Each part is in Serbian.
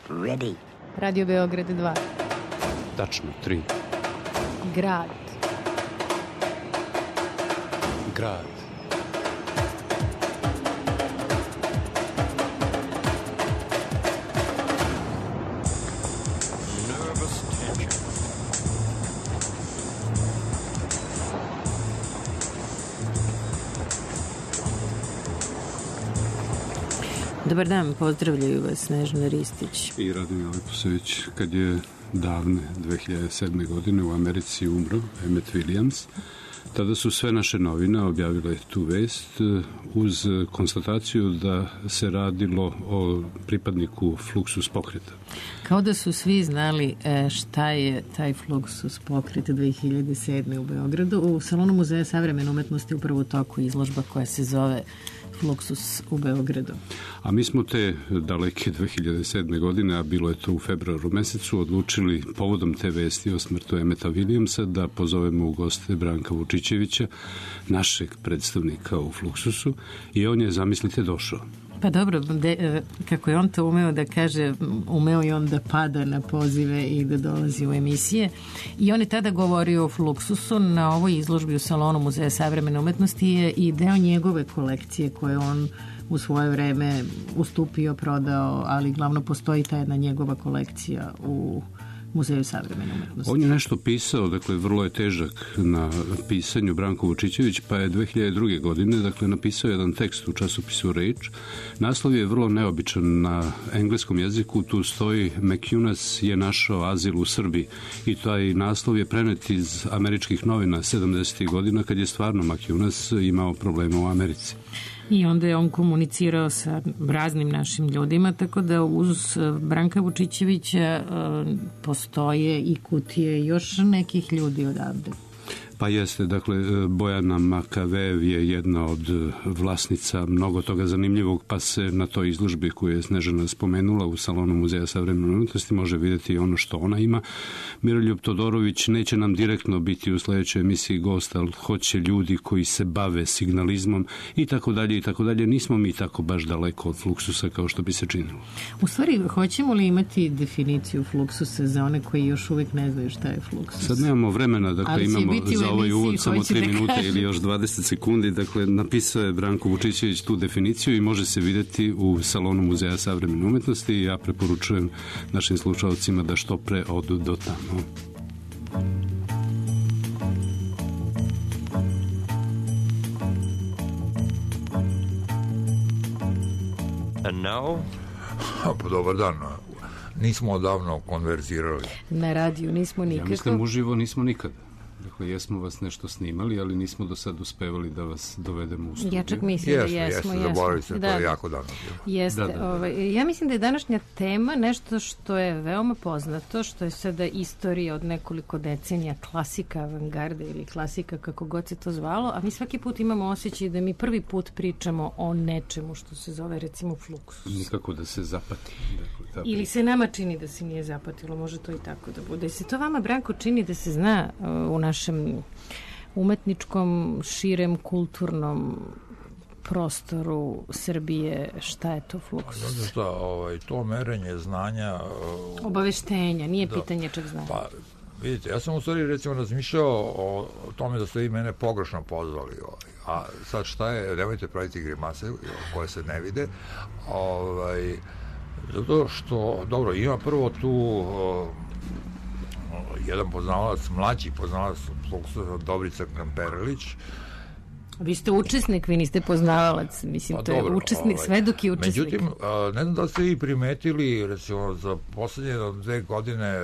Ready. Radio Beograd 2. Tačno, 3. Grad. Grad. Nervous tension. Dobar dan, pozdravljaju vas Snežana Ristić I Radomir Leposević. Kad je davne 2007. godine u Americi umro Emmett Williams, tada su sve naše novine objavile tu vest uz konstataciju da se radilo o pripadniku Fluxus pokreta. Kao da su svi znali šta je taj Fluxus pokret 2007. u Beogradu. U Salonu Muzeja savremene umetnosti upravo u toku izložba koja se zove Fluxus u Beogradu. A mi smo te daleke 2007. godine, a bilo je to u februaru mesecu, odlučili povodom te vesti o smrtu Emmeta Williamsa da pozovemo u goste Branka Vučićevića, našeg predstavnika u Fluxusu, i on je, zamislite, došao. Pa dobro, kako je on to umeo da kaže, umeo je on da pada na pozive i da dolazi u emisije. I on je tada govorio o Fluxusu. Na ovoj izložbi u Salonu Muzeja savremene umetnosti je i deo njegove kolekcije koje on u svoje vreme ustupio, prodao, ali glavno postoji ta jedna njegova kolekcija u Muzeju savremene umetnosti. On je nešto pisao, dakle vrlo je težak na pisanju, Branko Vučićević, pa je 2002. godine napisao jedan tekst u časopisu Reč. Naslov je vrlo neobičan na engleskom jeziku, tu stoji McInnes je našao azil u Srbiji, i taj naslov je prenet iz američkih novina 70. godina kad je stvarno McInnes imao problema u Americi. I onda je on komunicirao sa raznim našim ljudima, tako da uz Branka Vučićevića postoje i kutije još nekih ljudi odavde. Pa jeste, dakle, Bojana Makavev je jedna od vlasnica mnogo toga zanimljivog, pa se na toj izložbi koju je Snežana spomenula u Salonu Muzeja savremene umetnosti može vidjeti ono što ona ima. Miroljub Todorović neće nam direktno biti u sledećoj emisiji gost, ali hoće ljudi koji se bave signalizmom i tako dalje i tako dalje. Nismo mi tako baš daleko od Fluxusa kao što bi se činilo. U stvari, hoćemo li imati definiciju Fluxusa za one koji još uvijek ne znaju šta je Fluxus? Sad nemamo vremena, dakle imamo za ovaj uvod samo 3 minute ili još 20 sekundi. Dakle, napisao je Branko Vučićević tu definiciju i može se videti u Salonu Muzeja savremene umetnosti i ja preporučujem našim slušalcima da što pre odu do tamo. And now? Pa dobar dan. Nismo odavno konverzirali. Na radiju nismo nikako. Ja mislim, uživo nismo nikada. Dakle, jesmo vas nešto snimali, ali nismo do sad uspevali da vas dovedemo u studiju. Ja čak mislim da jesmo. Zaboravili ste, to je jako davno bilo. Jeste. Ja mislim da je današnja tema nešto što je veoma poznato, što je sada istorija od nekoliko decenija, klasika avangarde ili klasika, kako god se to zvalo, a mi svaki put imamo osjećaj da mi prvi put pričamo o nečemu što se zove, recimo, Fluxus. Nikako da se zapati. Dakle, ili se nama čini da se nije zapatilo, može to i tako da bude. I se to vama, Branko, čini da se zna u našem umetničkom, širem, kulturnom prostoru Srbije šta je to Fluxus? Zato što to merenje znanja... Obaveštenja, nije pitanje čeg znanja. Pa, vidite, ja sam u stvari recimo razmišljao o tome da ste vi mene pogrešno pozvali. A sad šta je, nemojte praviti grimase koje se ne vide. Zato što, dobro, ima prvo tu... jedan poznavalac, mlađi poznavalac Fluxusa, Dobrica Kamperlić. Vi ste učesnik, vi niste poznavalac, mislim, to je učesnik, svedok i učesnik. Međutim, ne znam da ste vi primetili, recimo, za poslednje 2 godine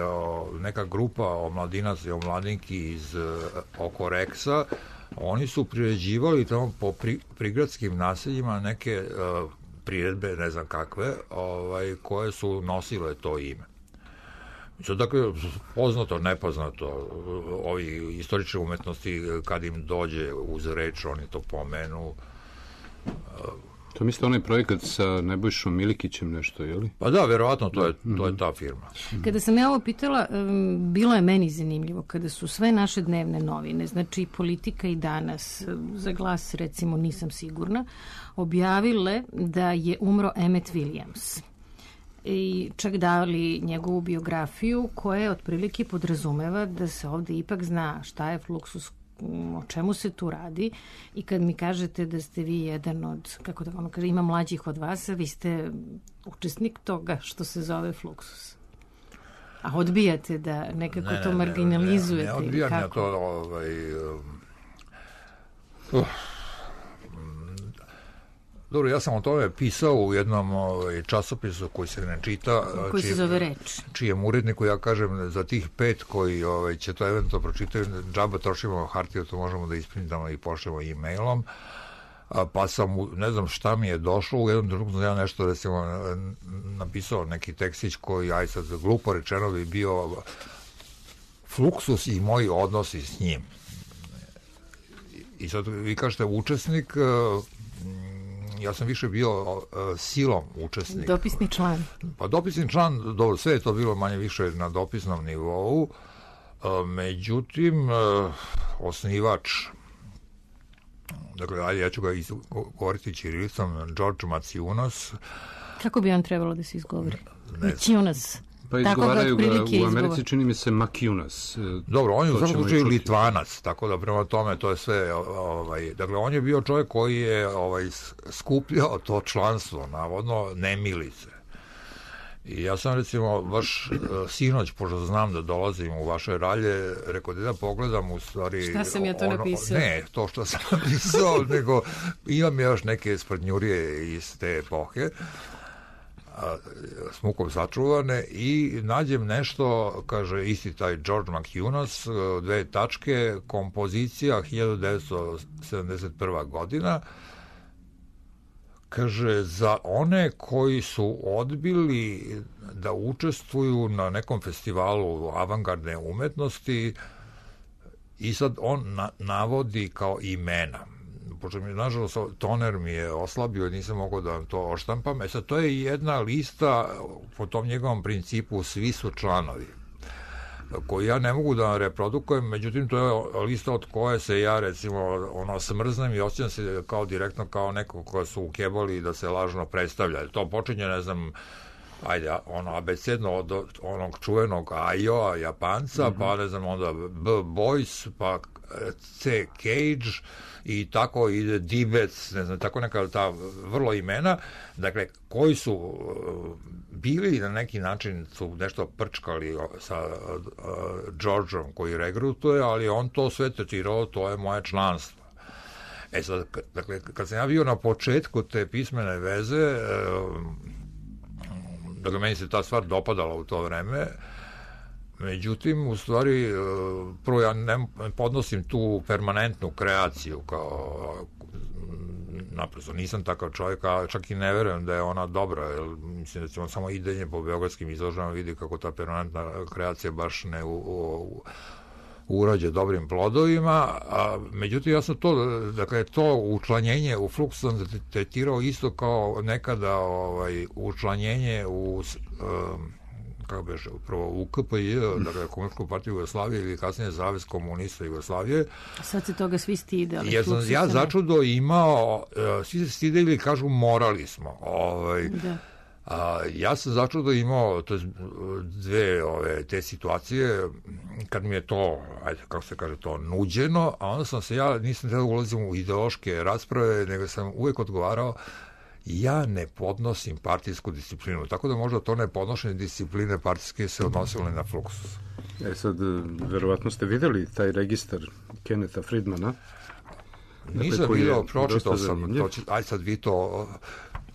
neka grupa omladinaca i omladinki iz oko Reksa, oni su priređivali tamo po prigradskim naseljima neke priredbe, ne znam kakve, koje su nosile to ime. Dakle, poznato, nepoznato, ovi istorične umetnosti, kad im dođe uz reč, oni to pomenu. To mislite onaj projekat sa Nebojšom Milikićem nešto, je li? Pa da, verovatno, to je ta firma. Kada sam ja ovo pitala, bilo je meni zanimljivo, kada su sve naše dnevne novine, znači Politika i Danas, za Glas recimo nisam sigurna, objavile da je umro Emmett Williams. i čak dali njegovu biografiju koja otprilike podrazumeva da se ovde ipak zna šta je Fluxus, o čemu se tu radi, i kad mi kažete da ste vi jedan od, kako da ono kaže, ima mlađih od vas, a vi ste učesnik toga što se zove Fluxus. A odbijate da nekako to marginalizujete? Ne odbijam ja to. Dobro, ja sam o tome pisao u jednom časopisu koji se ne čita. Koji se zove Reč. Čijem uredniku ja kažem za tih 5 koji će to eventualno pročitaju, džaba trošimo hartiju, to možemo da isprintamo i pošljemo e-mailom. Pa sam, ne znam šta mi je došlo, u jednom trenutku sam ja nešto, recimo, napisao neki tekstić koji, aj sad glupo rečeno, bi bio Fluxus i moji odnosi s njim. I sad vi kažete učesnik, ja sam više bio silom učesnik. Dopisni član. Pa dopisni član, dobro, sve je to bilo manje više na dopisnom nivou, međutim, osnivač, dakle, ajde, ja ću ga govoriti ćirilicom, George Maciunas. Kako bi on trebalo da se izgovori? Maciunas. Pa izgovaraju ga u Americi, čini mi se Maciunas. Dobro, on je u svakom slučaju Litvanac, tako da prema tome to je sve, dakle, on je bio čovjek koji je skupljao to članstvo, navodno, nemilice. I ja sam, recimo, baš sinoć, pošto znam da dolazim u vaše ralje, rekao da pogledam u stvari... Šta sam ja to napisao? Ne, to što sam napisao, nego imam još neke sprdnjurije iz te epohe, s mukom sačuvane, i nađem nešto, kaže isti taj George Maciunas, 2 tačke, kompozicija 1971. godina, kaže, za one koji su odbili da učestvuju na nekom festivalu avangardne umetnosti, i sad on navodi kao imena. Pošto mi, nažalost, toner mi je oslabio, nisam mogao da vam to oštampam. Sad, to je jedna lista po tom njegovom principu, svi su članovi, koju ja ne mogu da reprodukujem, međutim, to je lista od koje se ja, recimo, smrznem i osjećam se kao direktno kao neko koja su ukebali da se lažno predstavlja. To počinje, ne znam, ajde, abecedno od onog čuvenog Ajoa, Japanca, pa, ne znam, onda B. Boyce, pa C. Cage, i tako ide Dibec, ne znam, tako neka ta vrlo imena, dakle, koji su bili na neki način, su nešto prčkali sa Georgeom koji regrutuje, ali on to sve tretirao, to je moje članstvo. Sad, dakle, kad sam ja bio na početku te pismene veze, dakle, meni se ta stvar dopadala u to vreme, međutim, u stvari, prvo ja ne podnosim tu permanentnu kreaciju, kao, naprosto, nisam takav čovjek, a čak i ne verujem da je ona dobra, jer mislim da ćemo samo idenje po beogradskim izložbama vidi kako ta permanentna kreacija baš ne urađe dobrim plodovima, međutim, ja sam to, dakle, to učlanjenje u Fluxus sam tretirao isto kao nekada učlanjenje u kako beže, upravo u KPJ, dakle, Komunističku partiju Jugoslavije, ili kasnije Savez komunista Jugoslavije. Sad se toga svi stide. Jer sam ja začudo imao, svi se stide ili kažu morali smo. Ja sam začudo imao dve te situacije kad mi je to, ajde, kako se kaže, to nuđeno, a onda sam se, ja nisam tada ulazim u ideološke rasprave, nego sam uvek odgovarao, ja ne podnosim partijsku disciplinu, tako da možda to nepodnošenje discipline partijske se odnosilo na Fluxus. Sad, verovatno ste videli taj registar Kennetha Friedmana. Nisam vidio, pročitao sam, aj sad vi to...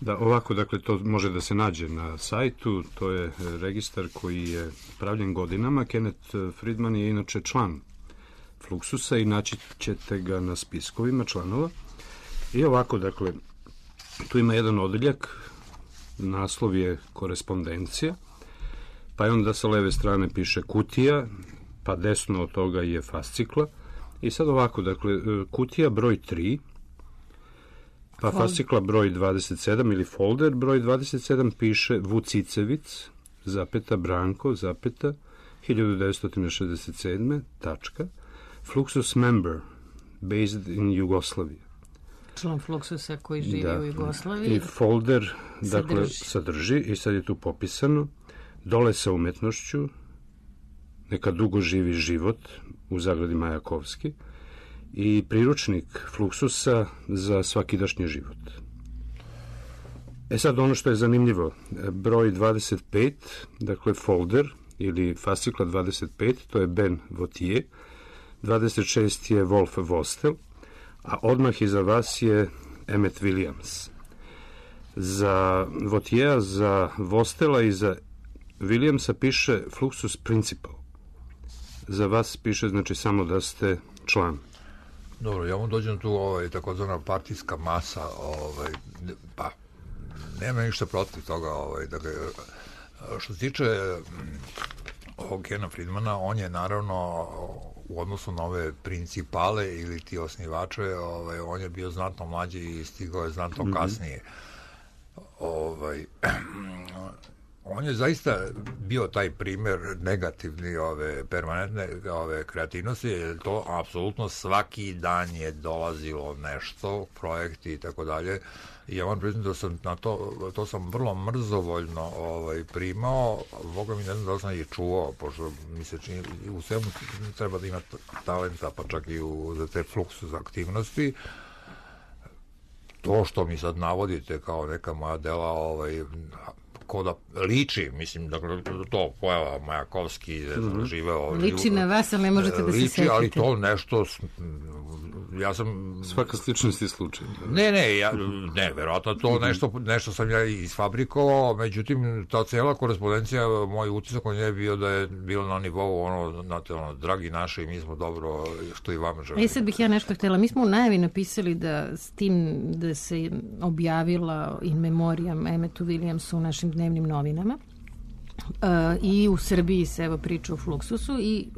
Da, ovako, dakle, to može da se nađe na sajtu, to je registar koji je pravljen godinama. Kenneth Friedman je inače član Fluxusa i naći ćete ga na spiskovima članova. I ovako, dakle, tu ima jedan odeljak, naslov je korespondencija, pa je onda sa leve strane piše kutija, pa desno od toga je fascikla. I sad ovako, dakle, kutija broj 3, pa fascikla broj 27 ili folder broj 27 piše Vucicevic, zapeta, Branko, zapeta, 1967. tačka, Fluxus member, based in Jugoslavia. član Fluxusa koji živi u Jugoslaviji. I folder, dakle, sadrži, i sad je tu popisano, dole sa umetnošću, neka dugo živi život, u zagradi Majakovski, i priručnik Fluxusa za svakidašnji život. Sad ono što je zanimljivo, broj 25, dakle folder ili fascikla 25, to je Ben Vautier, 26 je Wolf Vostel, a odmah iza vas je Emmet Williams. Za Vautiera, za Vostela i za Williamsa piše Fluxus Principal. Za vas piše, znači, samo da ste član. Dobro, ja vam dođem tu takozvana partijska masa, pa nema ništa protiv toga, dakle, što se tiče ovog Kena Friedmana, on je naravno u odnosu na ove principale ili ti osnivače, on je bio znatno mlađi i stigao je znatno kasnije. On je zaista bio taj primer negativni permanentne kreativnosti, jer to apsolutno svaki dan je dolazilo nešto, projekti i tako dalje. I ja vam priznam da sam na to sam vrlo mrzovoljno primao, Boga mi ne znam da sam ih čuvao, pošto mi se čini, u svemu treba da ima talenta, pa čak i za te Fluxus aktivnosti. To što mi sad navodite kao neka moja dela, ko da liči, mislim, dakle, to pojava Majakovski, živeo... Liči na vas, ali ne možete da se setite. Liči, ali to nešto... Ja sam... Svaka sličnost je slučaj. Ne, verovatno to nešto sam ja isfabrikovao, međutim, ta cela korespondencija, moj utisak on je bio da je bilo na nivou dragi naši, mi smo dobro, što i vama želim. Sad bih ja nešto htjela. Mi smo u najavi napisali da s tim da se objavila in memoriam Emmetu Williamsu u našim dnevnim novinama. I u Srbiji se evo priča o Fluxusu i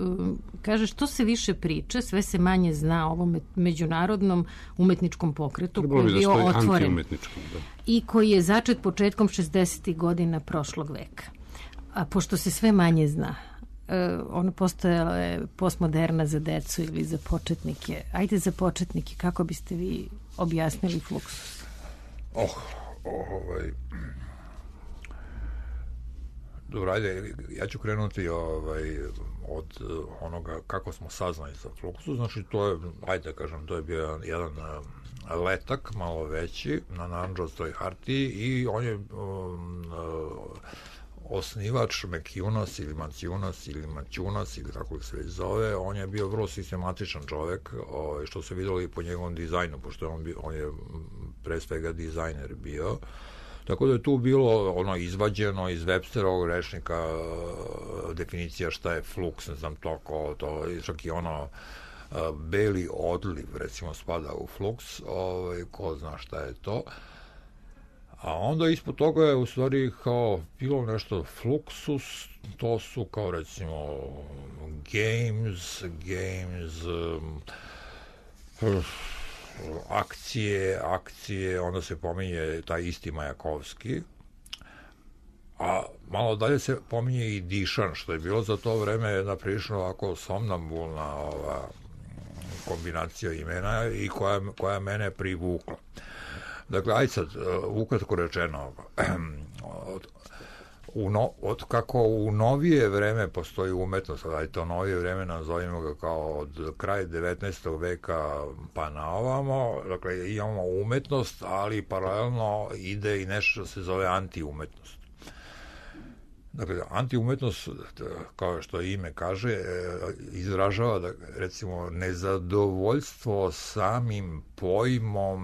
kaže što se više priča, sve se manje zna o ovom međunarodnom umetničkom pokretu koji je bio otvoren i koji je začet početkom 60. godina prošlog veka. A pošto se sve manje zna, ono postojala je postmoderna za decu ili za početnike. Ajde za početnike, kako biste vi objasnili Fluxus? Dobro, ajde, ja ću krenuti od onoga kako smo saznali za Fluxus. Znači, to je, ajde kažem, to je bio jedan letak, malo veći, na narandžastoj hartiji i on je osnivač Mekiunas ili Manciunas ili Maćunas ili kako se već zove, on je bio vrlo sistematičan čovek, što se videlo i po njegovom dizajnu, pošto on je pre svega dizajner bio. Tako da je tu bilo izvađeno iz Websterovog rečnika definicija šta je flux, ne znam to, čak i beli odliv, recimo, spada u flux, ko zna šta je to. A onda ispod toga je u stvari kao bilo nešto Fluxus, to su kao recimo games, akcije, onda se pominje taj isti Majakovski, a malo dalje se pominje i Dišan, što je bilo za to vreme jedna prilično ovako somnambulna kombinacija imena i koja mene privukla. Dakle, ajde sad, ukratko rečeno, od kako u novije vreme postoji umetnost, ajde to novije vreme nazovimo ga kao od kraja 19. veka pa na ovamo, dakle imamo umetnost, ali paralelno ide i nešto što se zove antiumetnost. Dakle, antiumetnost, kao što ime kaže, izražava, da, recimo, nezadovoljstvo samim pojmom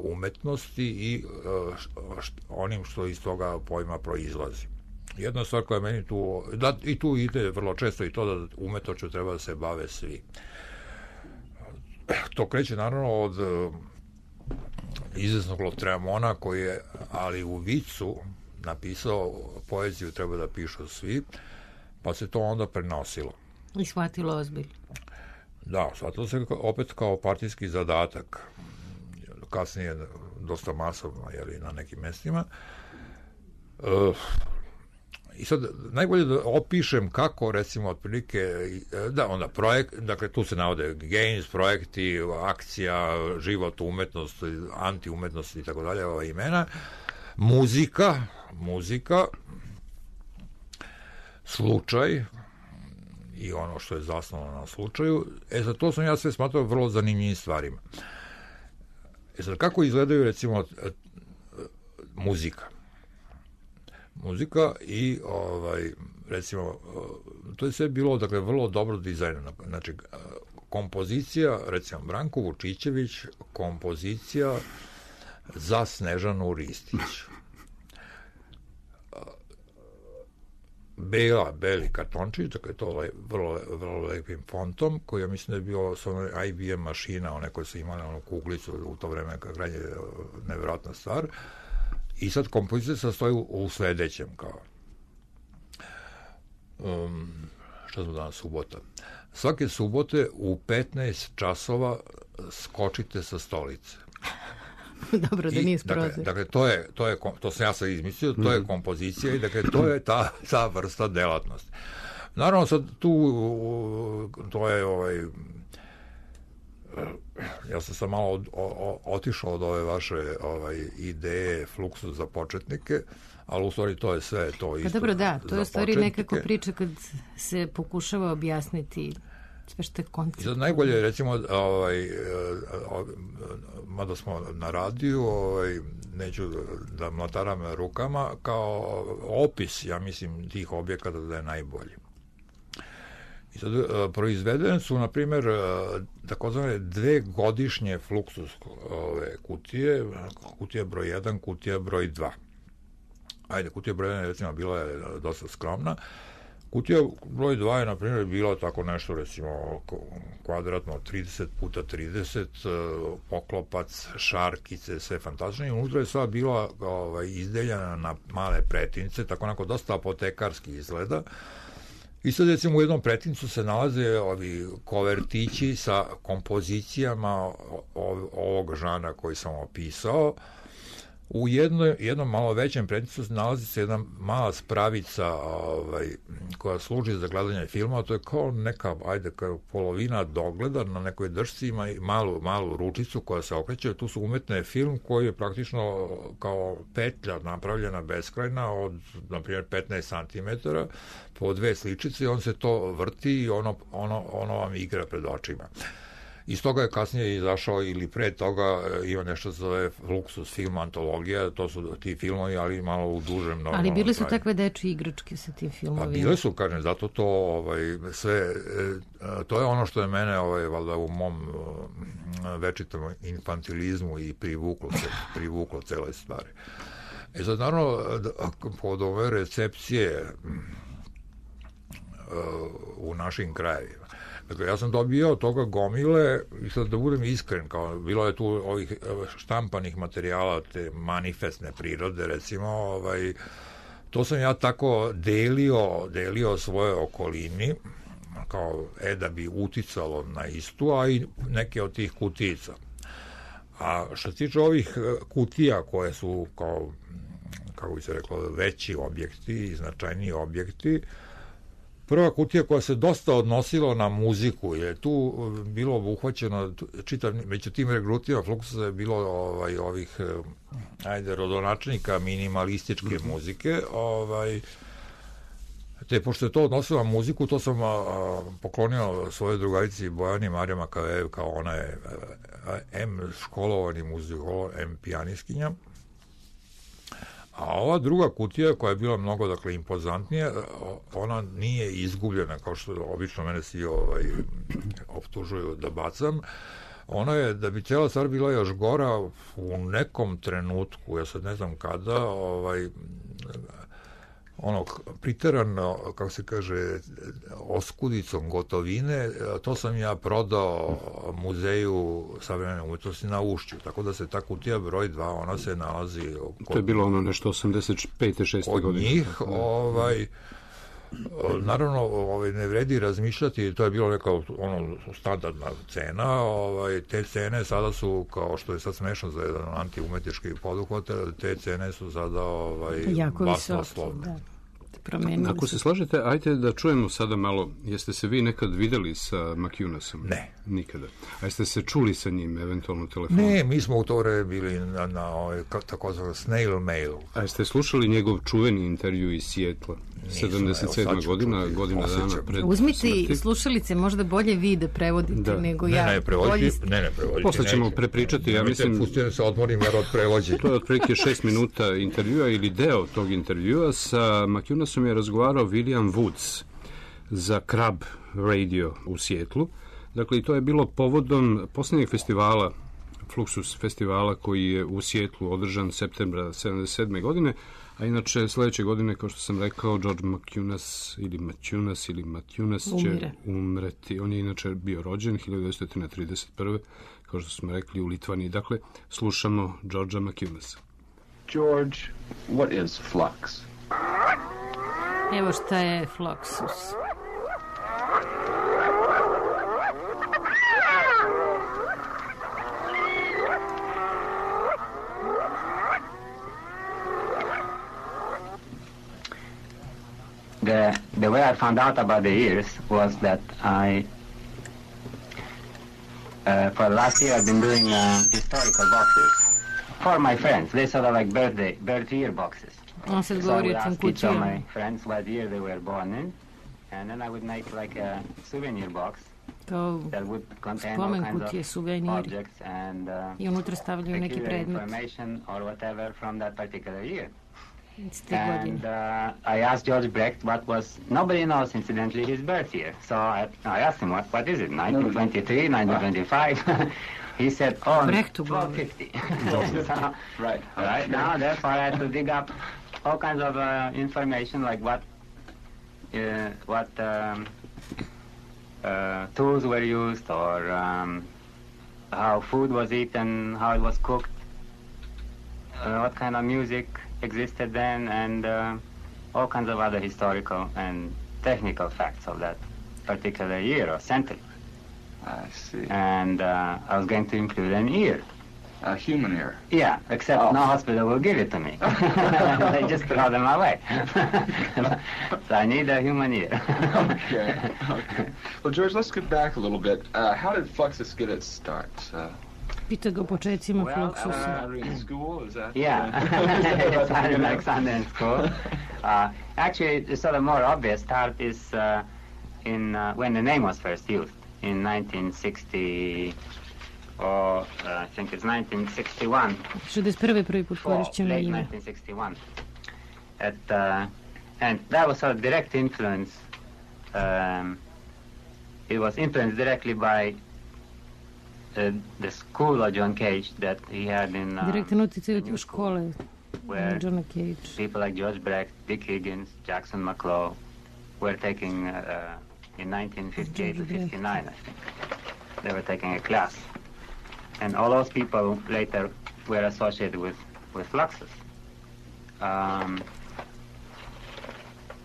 umetnosti i onim što iz toga pojma proizlazi. Jedna stvar koja meni tu, i tu ide vrlo često i to da umetnošću treba da se bave svi. To kreće naravno od izvesnog Lautréamonta koji je, ali u vicu, napisao poeziju treba da pišu svi, pa se to onda prenosilo. I shvatilo ozbiljno. Da, shvatilo se opet kao partijski zadatak. Kasnije dosta masovno, na nekim mestima. I sad, najbolje da opišem kako, recimo, otprilike, da, onda projekt, dakle, tu se navode games, projekti, akcija, život, umetnost, anti-umetnost i tako dalje, ova imena, muzika, slučaj i ono što je zasnovano na slučaju. Za to sam ja sve smatrao vrlo zanimljivim stvarima. Sad, kako izgledaju, recimo, muzika i recimo to je sve bilo, dakle, vrlo dobro dizajnirano. Znači, kompozicija, recimo Branko Vučićević, kompozicija za Snežanu Ristić, beli kartončić, dakle to vrlo lepim fontom, koji ja mislim da je bio sa onoj IBM mašina, one koje su imale onu kuglicu u to vreme, krajnje nevjerojatna stvar. I sad kompozicija sastoji u sledećem, kao šta smo danas, subota. Svake subote u 15 časova skočite sa stolice. Dobro, da nije sprozir. Dakle, to sam ja sad izmislio, to je kompozicija i dakle, to je ta vrsta delatnosti. Naravno, sad tu, to je ja sam sad malo otišao od ove vaše ideje Fluksu za početnike, ali u stvari to je sve to isto. Pa dobro, da, to je u stvari nekako priča kad se pokušava objasniti sve što je koncept. Sad najbolje, recimo, mada smo na radiju, neću da mlataram rukama, kao opis, ja mislim, tih objekata da je najbolji. I sad, proizvedene su, na primjer, takozvane 2 godišnje Fluxus kutije, kutija broj 1, kutija broj 2. Ajde, kutija broj 1, recimo, bila je dosta skromna. Kutija broj 2 je, na primjer, bila tako nešto, recimo, kvadratno 30 puta 30, poklopac, šarkice, sve fantastično. I unutra je sva bila izdeljena na male pretince, tako onako dosta apotekarski izgleda. I sad, recimo, u jednom pretincu se nalaze ovi kovertići sa kompozicijama ovog žana koji sam opisao. U jednom malo većem pretincu nalazi se jedna mala spravica koja služi za gledanje filma, to je kao neka, kao polovina dogleda na nekoj držci, ima i malu ručicu koja se okreće, tu su umetne film koji je praktično kao petlja napravljena beskrajna od, na primjer, 15 cm po 2 sličice i on se to vrti i ono vam igra pred očima. Iz toga je kasnije izašao, ili pre toga ima nešto se zove Fluxus film antologija, to su ti filmovi, ali malo u dužem normalno. Ali bile su takve dečje igračke sa tim filmovima. A bile su, kažem, zato to sve, to je ono što je mene valjda u mom večitom infantilizmu i privuklo cele stvari. Sad, naravno, pod ove recepcije u našim krajevima, dakle, ja sam dobio toga gomile i sad da budem iskren, kao bilo je tu ovih štampanih materijala, te manifestne prirode, recimo, to sam ja tako delio svoje okolini, kao da bi uticalo na istu, a i neke od tih kutica. A što se tiče ovih kutija koje su, kao, kako bi se reklo, veći objekti i značajniji objekti, prva kutija koja se dosta odnosila na muziku, je tu bilo obuhvaćeno, među tim regrutima Fluxusa je bilo ovih, rodonačnika minimalističke muzike, te pošto je to odnosilo na muziku, to sam poklonio svojoj drugarici Bojani Marija Makavejev, kao ona je M školovani muzikolog, M pijaniskinja. A ova druga kutija, koja je bila mnogo, dakle, impozantnija, ona nije izgubljena, kao što obično mene svi optužuju da bacam. Ona je, da bi cijela stvar bila još gora, u nekom trenutku, ja sad ne znam kada, priterano, kako se kaže, oskudicom gotovine, to sam ja prodao Muzeju savremene umetnosti na Ušću, tako da se ta kutija broj 2, ona se nalazi to je bilo ono nešto 85. 6. godine. Od njih, naravno, ne vredi razmišljati, to je bilo neka standardna cena, te cene sada su, kao što je sad smešno za jedan antiumetnički poduhvat, te cene su sada jako basnoslovne. promenili. Ako se slažete, ajte da čujemo sada malo, jeste se vi nekad videli sa McInnesom? Ne. Nikada. A jeste se čuli sa njim, eventualno telefonom? Ne, mi smo u to vreme bili na takozvano snail mail. A jeste slušali njegov čuveni intervju iz Sijetla? 77. godina dana pred Uzmite smrti. slušalice, možda bolje vi da prevodite nego ja. Ne, prevoditi. Posle ćemo prepričati, ja mislim... Pustite se odmorim jer od prevođenja. To je otprilike 6 minuta intervjua ili deo tog intervjua. Sa McInnesom je razgovarao William Woods za Crab Radio u Sijetlu. Dakle, i to je bilo povodom posljednjeg festivala, Fluxus festivala, koji je u Sijetlu održan septembra 77. godine, a inače sledeće godine, kao što sam rekao, George McInnes ili Matthews će umreti. On je inače bio rođen 1931. kao što smo rekli u Litvaniji. Dakle, slušamo Georgea McInnesa. George, what is flux? Evo šta je Fluxus. The way I found out about the ears was that for the last year I've been doing historical boxes for my friends. They sort of like birth year boxes. On se So I govori would o tim ask each of kutijama. my friends what year they were born in, and then I would make like a souvenir box Kao that would contain all spomen kinds kutije, of suveniri. objects and I unutra stavljaju neki peculiar predmet. information or whatever from that particular year. Iz te godine. And I asked George Brecht what was, nobody knows incidentally his birth year. So I asked him, what is it, 1923, 1925? He said, Brechtu 1250. So, Right. now, therefore, I had to dig up all kinds of information, like what tools were used, or how food was eaten, how it was cooked, what kind of music existed then, and all kinds of other historical and technical facts of that particular year or century. I see. And I was going to include an ear. A human ear. Yeah, except no hospital will give it to me. They just throw them away. So I need a human ear. Okay. Well, George, let's get back a little bit. How did Fluxus get its start? Pita ga o početcima Fluxusa. In school, is that? Yeah, it started in Alexander in school. Actually, the sort of more obvious start is when the name was first used in 1960, or I think it's 1961. 61. prvi put korišćeno late ime. 1961. And that was sort of direct influence. It was influenced directly by the school of John Cage that he had in Direktan uticaj od New škole where Johna Cage. people like George Brecht, Dick Higgins, Jackson McClough were taking in 1958 to 59, I think. They were taking a class. And all those people later were associated with Fluxus.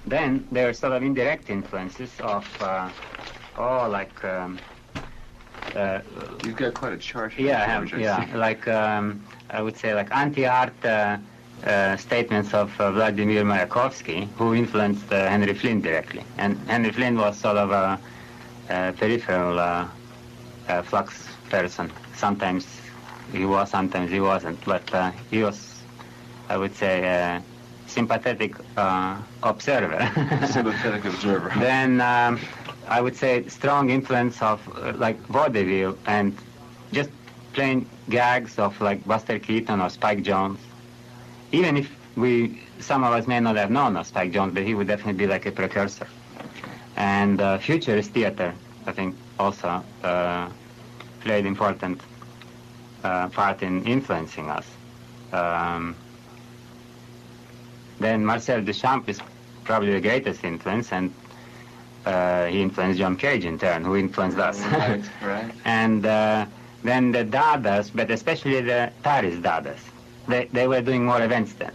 Then there are sort of indirect influences of, You've got quite a chart here. yeah, I have, George, I yeah, see. like I would say like anti-art statements of Vladimir Mayakovsky, who influenced Henry Flint directly. And Henry Flint was sort of a peripheral Flux person. Sometimes he was, sometimes he wasn't, but he was, I would say, a sympathetic observer. Sympathetic observer. Then I would say strong influence of like vaudeville and just plain gags of like Buster Keaton or Spike Jones. Even if some of us may not have known of Spike Jones, but he would definitely be like a precursor. And futurist theater, I think, also played important part in influencing us. Then Marcel Duchamp is probably the greatest influence, and he influenced John Cage in turn, who influenced us. Right, right. And then the Dadas, but especially the Paris Dadas, they were doing more events then.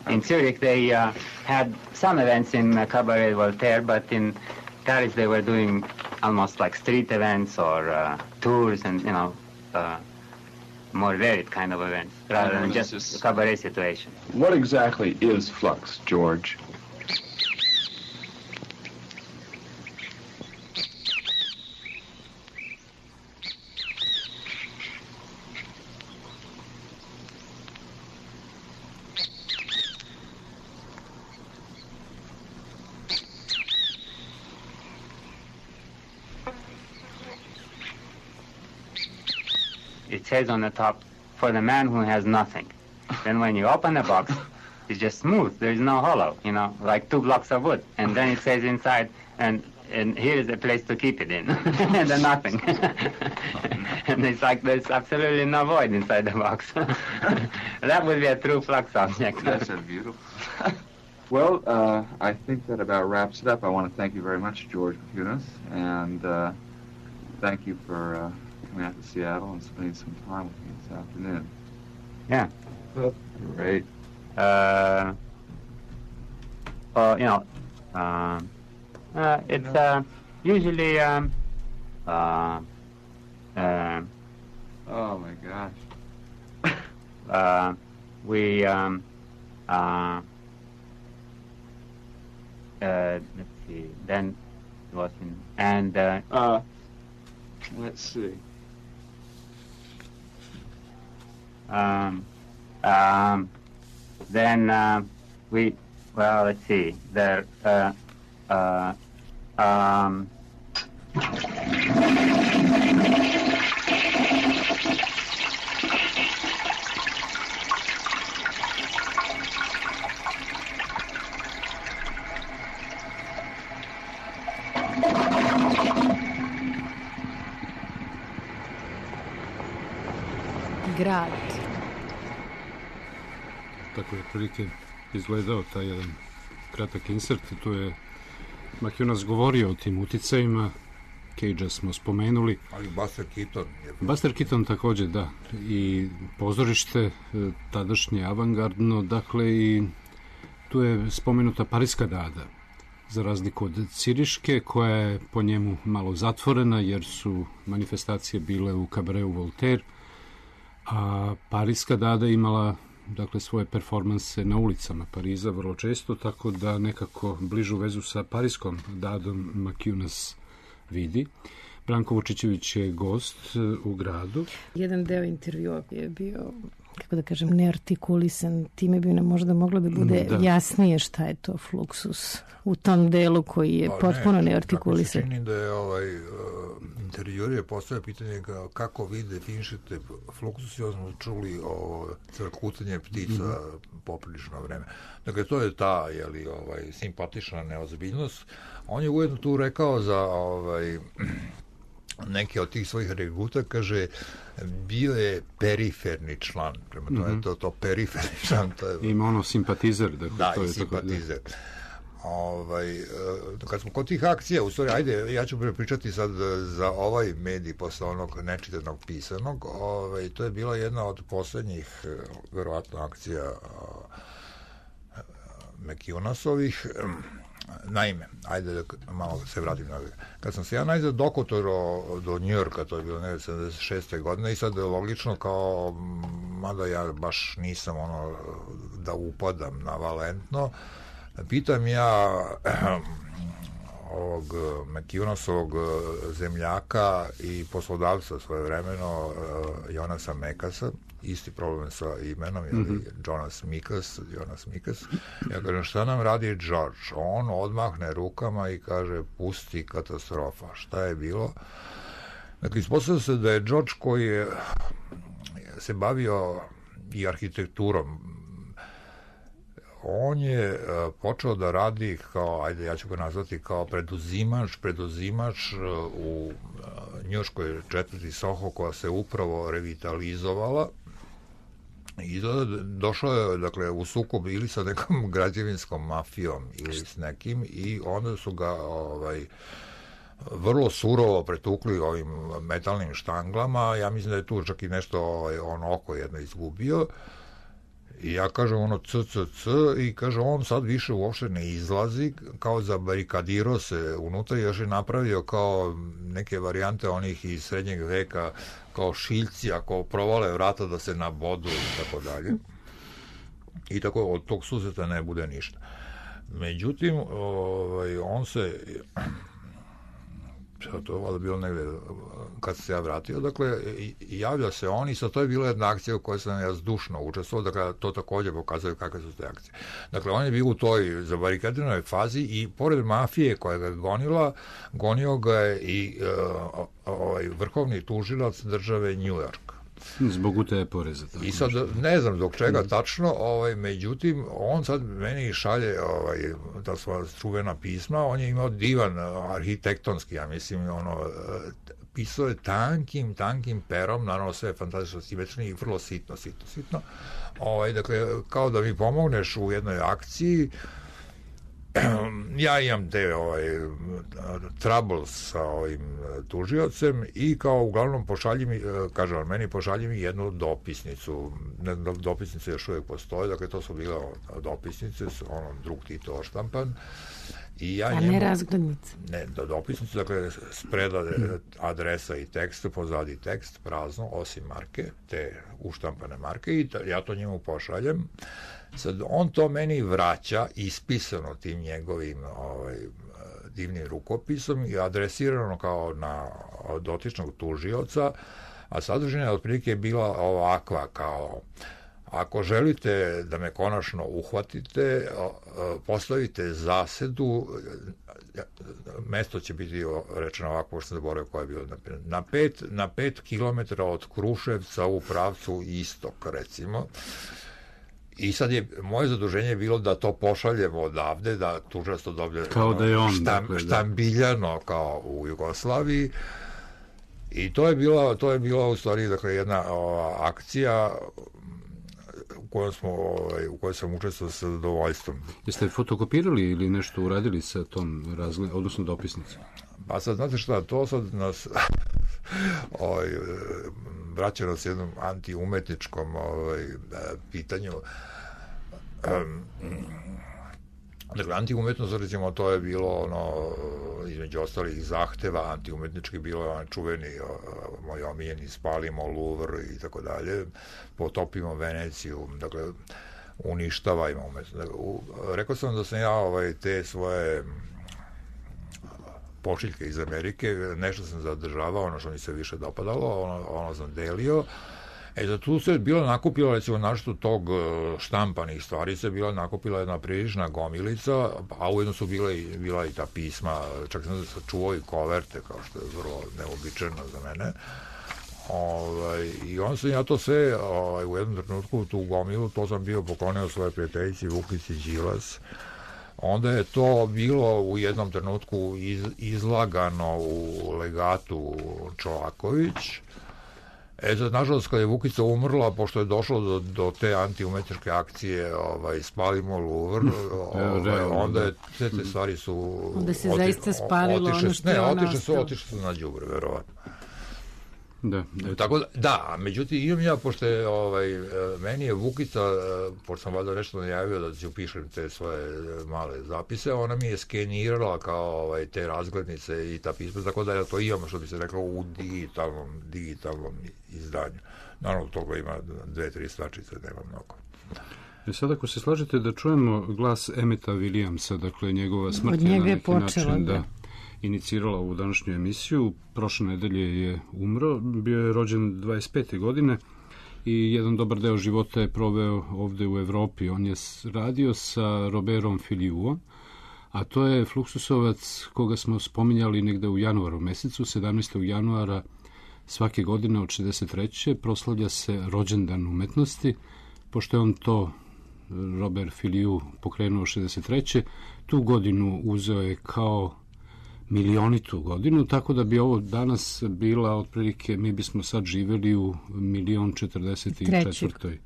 In Zurich, they had some events in Cabaret Voltaire, but in Paris they were doing almost like street events or tours and, more varied kind of events, rather than just a cabaret situation. What exactly is flux, George? it says on the top, for the man who has nothing. Then when you open the box, it's just smooth. There is no hollow, you know, like 2 blocks of wood. And then it says inside, and here is a place to keep it in, and then nothing. And it's like there's absolutely no void inside the box. That would be a true flux object. That's beautiful. Well, I think that about wraps it up. I want to thank you very much, George Maciunas, and thank you for coming out to Seattle and spending some time with me this afternoon. Yeah. Well, great. Well, you know, it's usually oh my gosh. we let's see. Then it was in and let's see. Then we let's see. There Grad. Tako je prilike izgledao taj jedan kratak insert. Tu je Maciunas govorio o tim uticajima. Cagea smo spomenuli. Ali Buster Keaton. Buster Keaton također, da. I pozorište, tadašnje avangardno, dakle i tu je spomenuta Parijska dada. Za razliku od Ciriške, koja je po njemu malo zatvorena, jer su manifestacije bile u kabareu Voltaire, a Parijska dada imala dakle svoje performanse na ulicama Pariza vrlo često, tako da nekako bližu vezu sa Parijskom dadom Maciunas vidi. Branko Vučićević je gost u gradu. Jedan deo intervjua je bio, kako da kažem, neartikulisan, time bi nam možda moglo da bude jasnije šta je to Fluxus u tom delu koji je potpuno neartikulisan. Tako se čini da je intervjuer je postavio pitanje kako vi definišete Fluxus i smo čuli o crkutanje ptica poprilično vreme. Dakle, to je ta simpatična neozbiljnost. On je ujedno tu rekao za neke od tih svojih regruta, kaže, bio je periferni član. Prema tome, to periferni član. To je, ima ono simpatizer. Da, to je simpatizer. Kad smo kod tih akcija, u stvari, ajde, ja ću pričati sad za ovaj medij posle onog nečitanog pisanog. To je bila jedna od poslednjih, verovatno, akcija Maciunasovih. Naime, ajde da malo se vratim na kad sam se ja najzad dokotorao do Njujorka, to je bilo 76. godine i sad je logično kao, mada ja baš nisam da upadam navalentno, pitam ja ovog Maciunasovog zemljaka i poslodavca svojevremeno Jonasa Mekasa, isti problem sa imenom, Jonas Mikas. Ja kažem, šta nam radi George? On odmahne rukama i kaže, pusti, katastrofa. Šta je bilo? Dakle, ispostavlja se da je George, koji je se bavio i arhitekturom, on je počeo da radi kao, ajde, ja ću ga nazvati kao preduzimač u njujorškoj četvrti Soho, koja se upravo revitalizovala. I došao je, dakle, u sukob ili sa nekom građevinskom mafijom ili s nekim i onda su ga vrlo surovo pretukli ovim metalnim štanglama. Ja mislim da je tu čak i nešto oko jedno izgubio. I ja kažem i kaže, on sad više uopšte ne izlazi, kao zabarikadirao se unutra i još je napravio kao neke varijante onih iz srednjeg veka, kao šiljci, ako provale vrata da se nabodu i tako dalje. I tako od tog susreta ne bude ništa. Međutim, on se, to je valjda bilo negde kad se ja vratio, dakle, javlja se on i sad to je bila jedna akcija u kojoj sam ja zdušno učestvovao, dakle, to takođe pokazuje kakve su te akcije. Dakle, on je bio u toj zabarikadiranoj fazi i pored mafije koja ga je gonio ga je i vrhovni tužilac države New York. Zbog utaje poreza. I sad ne znam zbog čega tačno, međutim, on sad meni šalje ta sva čuvena pisma, on je imao divan arhitektonski, ja mislim, pisao je tankim perom, naravno sve je fantastično simetrično i vrlo sitno. Dakle, kao da mi pomogneš u jednoj akciji. Ja imam te troubles sa ovim tužiocem i kao uglavnom pošalji mi jednu dopisnicu. Dopisnice još uvijek postoje, dakle to su bile dopisnice, drug Tito oštampan. A ne razglednice? Ne, dopisnice, dakle spreda adresa i tekst, pozadi tekst, prazno, osim marke, te uštampane marke, i ja to njemu pošaljem. Sad, on to meni vraća ispisano tim njegovim divnim rukopisom i adresirano kao na dotičnog tužioca, a sadržina otprilike je bila ovakva, kao: ako želite da me konačno uhvatite, postavite zasedu, mesto će biti rečeno ovako, pošto sam zaboravio koje je bilo, na 5 kilometara od Kruševca u pravcu istok, recimo. I sad je moje zaduženje bilo da to pošaljemo odavde, da tužilac to dobije kao da je on, štambiljano kao u Jugoslaviji. I to je bila u stvari, dakle, jedna akcija u kojoj sam učestvovao sa zadovoljstvom. Jeste fotokopirali ili nešto uradili sa tom odnosno dopisnicom? Pa sad, znate šta, to sad nas vraća nas jednom antiumetničkom pitanju. Dakle, antiumetnost, recimo, to je bilo između ostalih zahteva antiumetnički, bilo je čuveni moj omiljeni spalimo Louvre i tako dalje, potopimo Veneciju, dakle, uništavajmo umetnost. Rekao sam da sam ja te svoje pošiljke iz Amerike, nešto sam zadržavao, ono što mi se više dopadalo, ono sam delio. Za tu se bilo nakupilo, recimo, našto tog štampanih stvari se bila nakupila jedna prilična gomilica, a ujedno su bila i ta pisma, čak sam čuvao i koverte, kao što je vrlo neobičajno za mene. I onda sam ja to sve u jednom trenutku, tu gomilu, to sam bio poklonio svoje prijateljici Vukici Đilas. Onda je to bilo u jednom trenutku izlagano u legatu Čolaković. Sad, nažalost, kada je Vukica umrla, pošto je došlo do te antiumetničke akcije spalimo Louvre, onda je sve te stvari su onda se zaista spalilo ono što je ono ostalo. Otišle su na đubre, verovatno. Da. Tako da, međutim, imam ja, pošto je, meni je Vukica, pošto sam valjda nešto najavio da ću pišem te svoje male zapise, ona mi je skenirala kao te razglednice i ta pisma, tako da ja to imam, što bi se reklo, u digitalnom izdanju. Naravno, toga ima 2-3 stvačice, nema mnogo. Sad, ako se slažete da čujemo glas Emmeta Williamsa, dakle njegova smrt je na neki način inicirala ovu današnju emisiju. Prošle nedelje je umro, bio je rođen 25. godine i jedan dobar deo života je proveo ovde u Evropi. On je radio sa Robertom Filiuom, a to je fluksusovac koga smo spominjali negde u januaru mesecu. 17. januara svake godine od 63. proslavlja se rođendan umetnosti, pošto je on to, Robert Filiu, pokrenuo 63. Tu godinu uzeo je kao milionitu godinu, tako da bi ovo danas bila otprilike, mi bismo sad živeli u 1.044.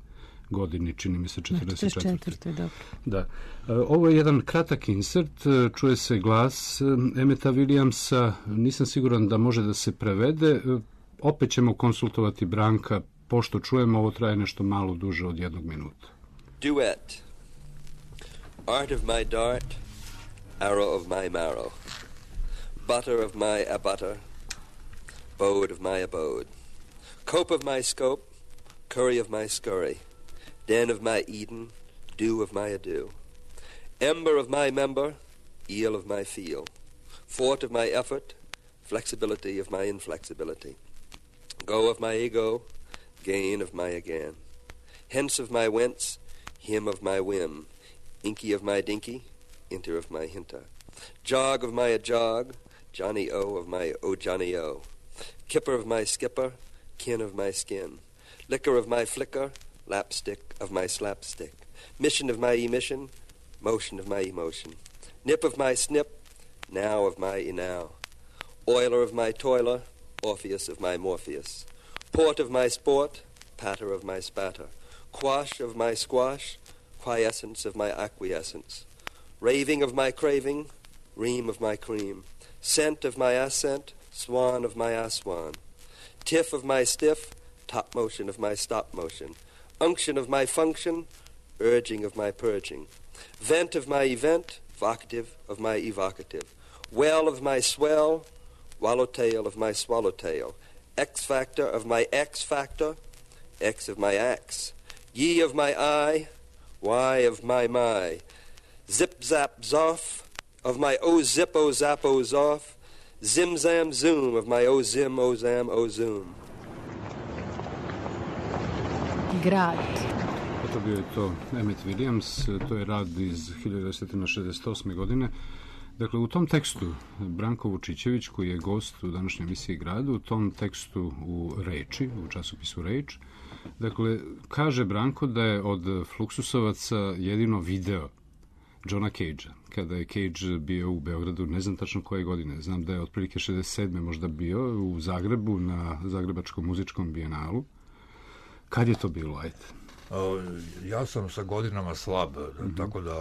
godini, čini mi se 44. Dobro. Da. Ovo je jedan kratak insert, čuje se glas Emmeta Williamsa, nisam siguran da može da se prevede, opet ćemo konsultovati Branka, pošto čujemo, ovo traje nešto malo duže od 1 minuta. Duet. Art of my dart, arrow of my marrow. Butter of my abutter, bode of my abode, cope of my scope, curry of my scurry, den of my Eden, dew of my ado, ember of my member, eel of my feel, fort of my effort, flexibility of my inflexibility, go of my ego, gain of my again, hence of my whence, him of my whim, inky of my dinky, inter of my hinter, jog of my jog, Johnny O of my O Johnny O, kipper of my skipper, kin of my skin, Flicker of my flicker, lapstick of my slapstick. Mission of my emission, motion of my emotion. Nip of my snip, now of my enow. Oiler of my toiler, Orpheus of my Morpheus. Port of my sport, patter of my spatter. Quash of my squash, quiescence of my acquiescence. Raving of my craving, ream of my cream. Scent of my ascent, swan of my aswan. Tiff of my stiff, top motion of my stop motion. Unction of my function, urging of my purging. Vent of my event, vocative of my evocative. Well of my swell, swallowtail of my swallowtail. X factor of my X factor, X of my axe. Ye of my I, Y of my. Zip zap zoff of my O zip o zap o zoff. Zim zam zoom of my O zim o zam o zoom. Grad. To bio je to Emmett Williams, to je rad iz 1968. godine. Dakle, u tom tekstu Branko Vučićević, koji je gost u današnjoj emisiji Gradu, u tom tekstu u Reči, u časopisu Reč, dakle, kaže Branko da je od Fluxusovaca jedino video Johna Cagea, kada je Cage bio u Beogradu, ne znam tačno koje godine, znam da je otprilike 67. možda bio u Zagrebu na Zagrebačkom muzičkom bijenalu. Kad je to bilo, ajde? Ja sam sa godinama slab, tako da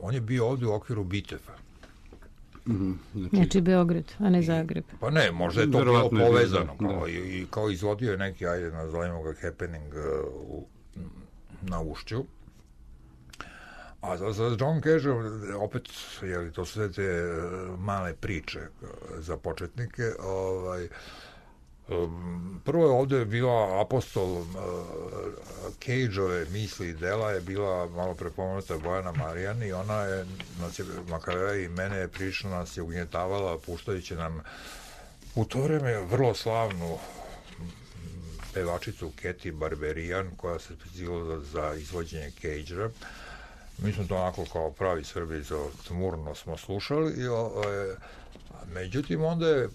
on je bio ovdje u okviru Bitefa. Znači Beograd, a ne Zagreb. Pa ne, možda je to bilo povezano, kao izvodio je neki, ajde nazovimo ga happening na Ušću. A za John Cage, opet, to su sve te male priče za početnike, prvo je ovdje bila apostol Cage-ove misli i dela je bila malo prepomenuta Bojana Marijan i ona je Makavea i mene prilično nas je ugnjetavala puštajući nam u to vreme vrlo slavnu pevačicu Katy Barberian koja se specijalila za izvođenje Cage-a. Mi smo to onako kao pravi Srbi tmurno smo slušali međutim onda je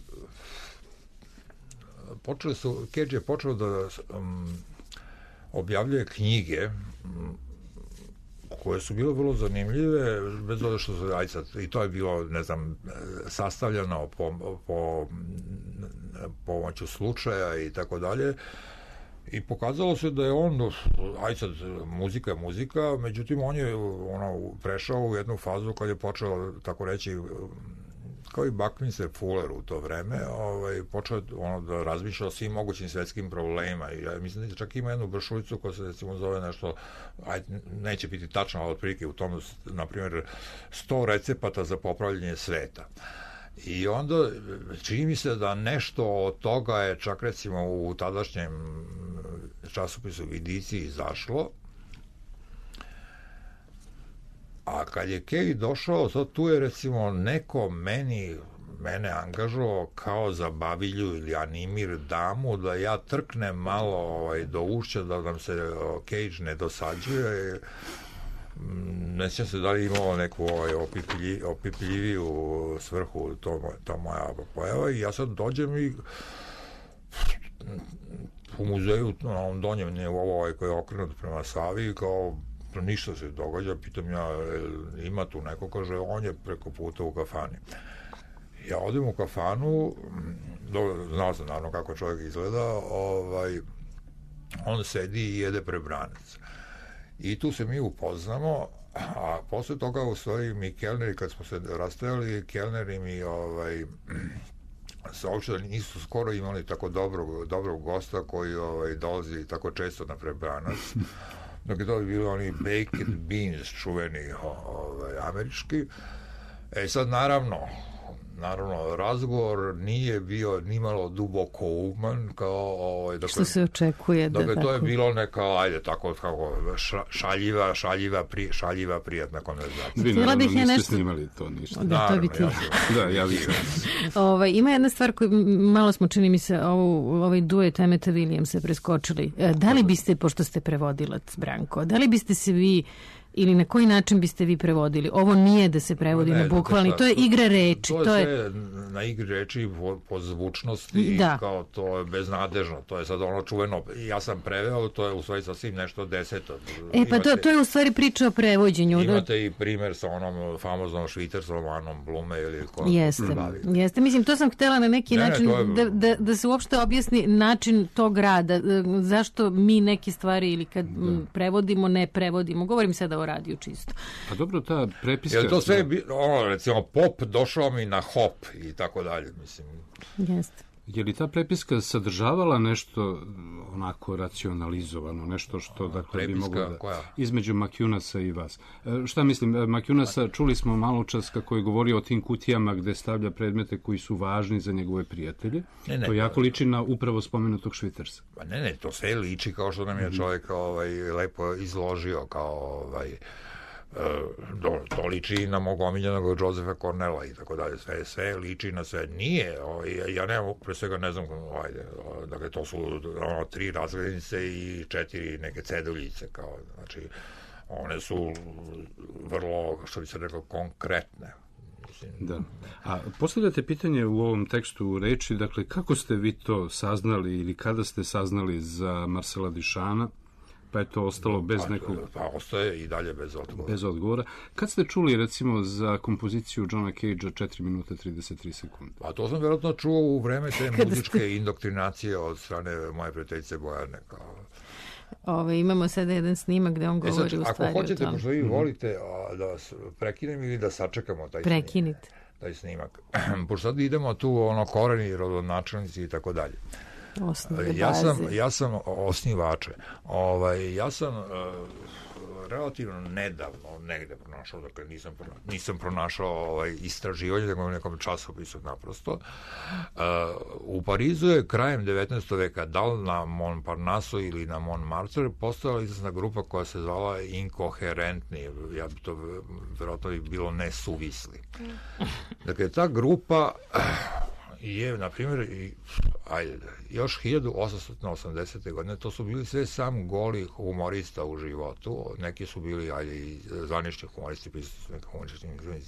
Cage je počeo da objavljuje knjige koje su bile vrlo zanimljive, bez obzira što se, i to je bilo, ne znam, sastavljeno po pomoću slučaja i tako dalje. I pokazalo se da je on, muzika je muzika, međutim on je prešao u jednu fazu kad je počeo, tako reći, kao i Buckminster Fuller u to vreme, počeo da razmišlja o svim mogućim svetskim problemima. I ja mislim da čak ima jednu brošuricu koja se recimo zove nešto, neće biti tačno, ali otprilike u tom, na primjer, 100 recepata za popravljanje sveta. I onda čini mi se da nešto od toga je čak recimo u tadašnjem časopisu Vidici izašlo. A kad je Cage došao, sad tu je recimo neko mene angažovao kao za bavilju ili animir damu da ja trknem malo do ušća da nam se Cage ne dosađuje. Ne sjećam se da li imao neku opipljiviju svrhu to moja pojava i ja sad dođem i u muzeju na ovom donjem nivou koji je okrenut prema Savi kao ništa se događa, pitam ja ima tu neko, kaže on je preko puta u kafani. Ja odem u kafanu, znao sam naravno kako čovjek izgleda, on sedi i jede prebranac. I tu se mi upoznamo, a posle toga u stvari mi kelneri, kad smo se rastajali, kelneri mi saopšte da nisu skoro imali tako dobrog gosta koji dolazi tako često na prebranac. Dok je to bili oni baked beans čuveni američki. Sad naravno razgovor nije bio nimalo duboko uman kao što se očekuje da dakle, to je bilo neka tako šaljiva prijatna konverzacija. Vi naravno niste snimali to ništa. Ja vidim. Ima jedna stvar koju malo smo, čini mi se, ovaj duet Emmeta Williamsa preskočili. Da li biste, pošto ste prevodilac, Branko, da li biste se vi ili na koji način biste vi prevodili? Ovo nije da se prevodi na bukvalni, to je igra reči. To je sve na igri reči po zvučnosti, da. Kao to je beznadežno, to je sad ono čuveno, ja sam preveo, to je u stvari sasvim nešto deseto. Pa to je u stvari priča o prevođenju. Imate i primer sa onom famoznom švicarskom Anom Blume ili ko Jeste, mislim, to sam htjela na neki način da se uopšte objasni način tog rada, zašto mi neke stvari ili kad prevodimo, ne prevodimo. Govorim sada o radiju čisto. Pa dobro, ta prepiska... Je to sve, recimo, pop došao mi na hop i tako dalje, mislim. Jeste. Je li ta prepiska sadržavala nešto onako racionalizovano, nešto što dakle bi moglo da... Između Makjunasa i vas. Šta mislim, Makjunasa čuli smo malo čas kako je govorio o tim kutijama gde stavlja predmete koji su važni za njegove prijatelje. To jako liči na upravo spomenutog Švicarsa. Pa ne, to sve liči kao što nam je čovjek lepo izložio kao to liči na mog omiljenog Josefa Cornela i tako dalje, sve liči na sve. Nije, ja nemam, pre svega ne znam, dakle to su 3 razglednice i 4 neke ceduljice, kao, znači, one su vrlo, što bi se rekao, konkretne. Da. A postavljate pitanje u ovom tekstu reči, dakle, kako ste vi to saznali ili kada ste saznali za Marcela Duchampa, pa je to ostalo bez nekog... Pa ostaje i dalje bez odgovora. Bez odgovora. Kad ste čuli, recimo, za kompoziciju Johna Cagea 4 minuta 33 sekunde? Pa to sam vjerojatno čuo u vreme te muzičke indoktrinacije od strane moje prijateljice Bojane. Imamo sada jedan snimak gde on govori u stvari o tome. Ako hoćete, možda vi volite da vas prekinem ili da sačekamo taj snimak. Pošto sad idemo tu koreni, rodonačelnici i tako dalje. Ja sam osnivače. Ja sam relativno nedavno negde pronašao, dakle nisam pronašao istraživanje, nego u nekom časopisu naprosto. U Parizu je krajem 19. veka, da li na Montparnasse ili na Montmartre, postojala izlasna grupa koja se zvala Inkoherentni. Ja bi to verovatno bilo nesuvisli. Dakle, ta grupa je, na primjer, još 1880. godine, to su bili sve sam goli humorista u životu, neki su bili i zvanični humoristi,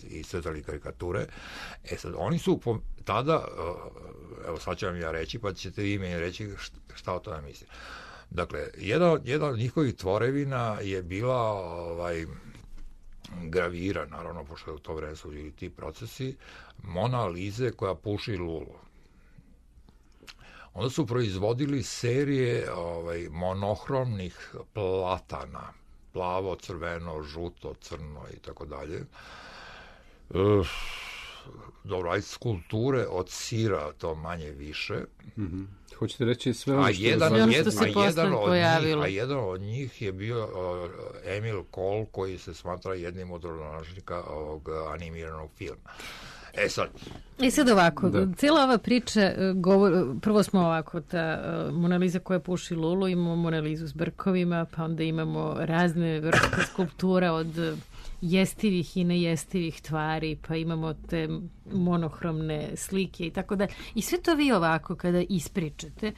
i crtali karikature. Sad, oni su tada, evo sad ću vam ja reći, pa ćete vi meni reći šta o tome mislim. Dakle, jedna od njihovih tvorevina je bila gravira, naravno, pošto u to vreme su bili ti procesi, Mona Lize koja puši lulu. Onda su proizvodili serije monohromnih platana, plavo, crveno, žuto, crno i tako dalje. Dobro, skulpture od sira, to manje više. Hoćete reći sve ono što se posle pojavilo. A jedan od njih je bio Emil Cole, koji se smatra jednim od rodonačelnika ovog animiranog filma. Sad ovako, cijela ova priča, prvo smo ovako, ta Mona Lisa koja puši lulu, imamo Mona Lisu s brkovima, pa onda imamo razne vrste skulptura od jestivih i nejestivih tvari, pa imamo te monohromne slike i tako dalje. I sve to vi ovako, kada ispričate,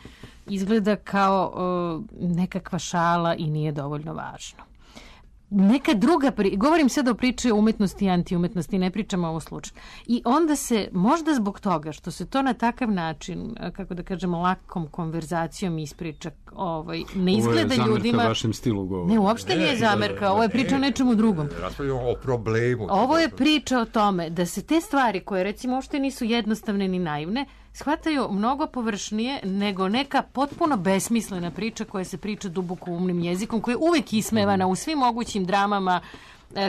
izgleda kao nekakva šala i nije dovoljno važno. Neka druga govorim sad o priči o umetnosti i antiumetnosti, ne pričamo o ovom slučaju. I onda se, možda zbog toga što se to na takav način, kako da kažemo, lakom konverzacijom ispriča, ne izgleda ljudima... Ovo je zamerka vašem stilu govora. Ne, uopšte nije zamerka, ovo je priča o nečemu drugom. Raspravljamo o problemu. Ovo je priča o tome da se te stvari, koje recimo uopšte nisu jednostavne ni naivne, shvataju mnogo površnije nego neka potpuno besmislena priča koja se priča duboko umnim jezikom, koja je uvek ismevana u svim mogućim dramama,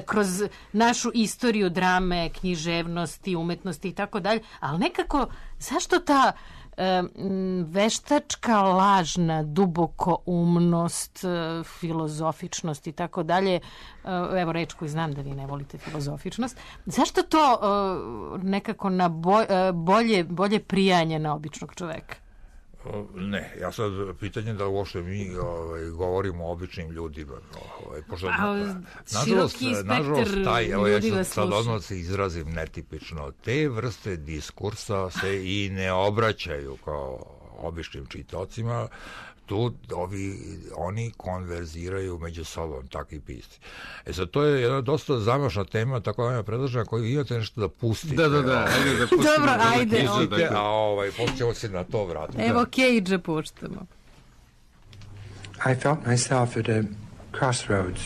kroz našu istoriju drame, književnosti, umetnosti i tako dalje, ali nekako, zašto ta veštačka, lažna, duboko umnost, filozofičnost i tako dalje, evo reč koju znam da vi ne volite, filozofičnost, zašto to nekako na bolje prijanje na običnog čoveka? Ne, ja sad pitanje da uopšte mi govorimo o običnim ljudima. Nažalost, ja ću sad odmah se izrazim netipično. Te vrste diskursa se i ne obraćaju kao običnim čitocima. tu oni konverziraju među sobom, takvi pisci. Sad, to je jedna dosta zamašna tema, tako da vam predlažem, ako imate nešto da pustite. Da, ajde da pustimo. Dobro, ajde. Poslije ćemo se na to vratiti. Evo, Cage puštamo. I felt myself at a crossroads